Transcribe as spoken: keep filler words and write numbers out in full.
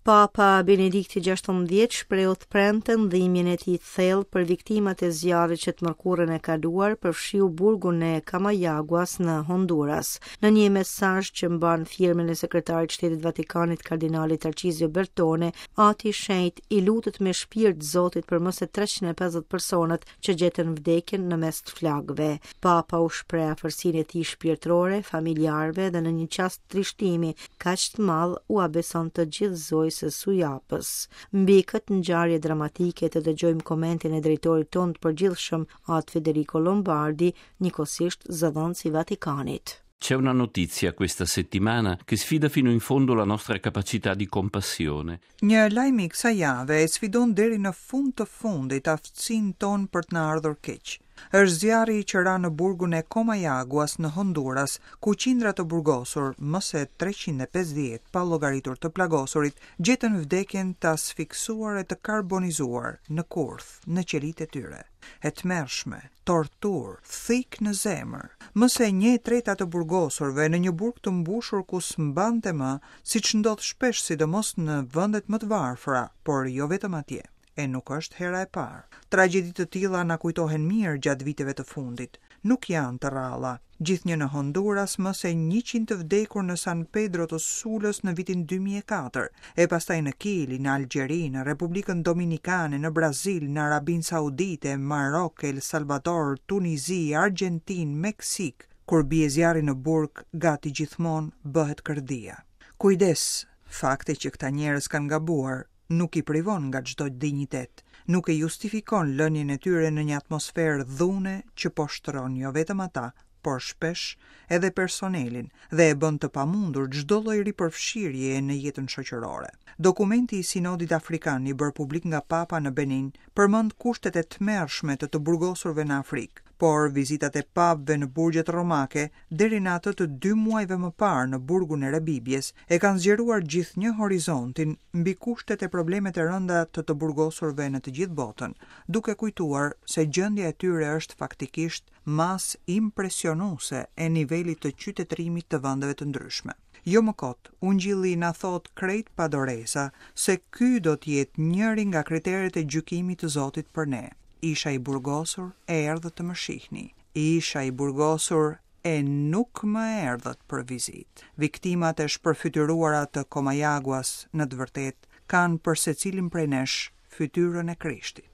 Papa Benedikti gjashtëmbëdhjetë shprehu të premten dhimbjen e tij të thellë për viktimat e zjarrit që të mërkurën e kaluar përfshiu burgun e Comayaguas në Honduras. Në një mesazh që mban firmën e sekretarit të Shtetit Vatikanit kardinalit Tarcizio Bertone, Ati i Shenjt i lutet me shpirt Zotit për më se treqind e pesëdhjetë personat që gjetën vdekjen në mes të flakëve. Papa u shpreh afërsinë e tij shpirtërore, familjarëve dhe në një çast trishtimi kaq të madh ua beson të gjithë Zojës së Sujapës. Mbi këtë ngjarje dramatike të dëgjojmë komentin e drejtorit tonë të përgjithshëm, At Federico Lombardi, njëkohësisht zëdhënës i Vatikanit. C'è una notizia questa settimana che sfida fino in fondo la nostra capacità di compassione. Një lajm i kësaj jave e sfidon deri në fund të fundit aftësinë tonë për të na ardhur keq. Është zjarri që ra në burgun e Comayaguas në Honduras, ku qindra të burgosur, më se treqind e pesëdhjetë pa llogaritur të plagosurit, gjetën vdekjen të asfiksuar e të karbonizuar në kurth, në qelitë e tyre. E tmerrshme, tortur, thik në zemër. Më se një e treta të burgosurve në një burg të mbushur ku s'mbante më, siç ndodh shpesh sidomos në vendet më të varfra, por jo vetëm atje. E nuk është hera e parë. Tragjedi të tilla na kujtohen mirë gjatë viteve të fundit. Nuk janë të rralla. Gjithnjë në Honduras më se njëqind të vdekur në San Pedro të Sulës në vitin dy mijë e katër, e pastaj në Kili, në Algjeri, në Republikën Dominikane, në Brazil, në Arabinë Saudite, Marok, El Salvador, Tunizi, Argentinë, Meksik. Kur bie zjarri në burg, gati gjithmonë bëhet kërdia. Kujdes, fakti që këta njerëz kanë gabuar nuk i privon nga çdo dinjitet, nuk e justifikon lënien e tyre në një atmosferë dhune që poshtëron jo vetëm ata, por shpesh edhe personelin dhe e bën të pamundur çdo lloj ripërfshirjeje në jetën shoqërore. Dokumenti i Sinodit Afrikan i bërë publik nga Papa në Benin përmend kushtet e tmerrshme të të burgosurve në Afrikë, por vizitat e papëve në burgjet romake deri në atë të dy muajve më parë në burgun e Rebibjes e kanë zgjeruar gjithnjë horizontin mbi kushtet e problemet e rënda të të burgosurve në të gjithë botën, duke kujtuar se gjendja e tyre është faktikisht masë impresionuese e nivelit të qytetërimit të vendeve të ndryshme. Jo më kot, Ungjilli na thot krejt pa doreza se ky do të jetë njëri nga kriteret e gjykimit të Zotit për ne. Isha i burgosur e erdhët të më shihni. Isha i burgosur e nuk më erdhët për vizitë. Viktimat e shpërfytyruara të Comayaguas në të vërtetë kanë për secilin prej nesh fytyrën e Krishtit.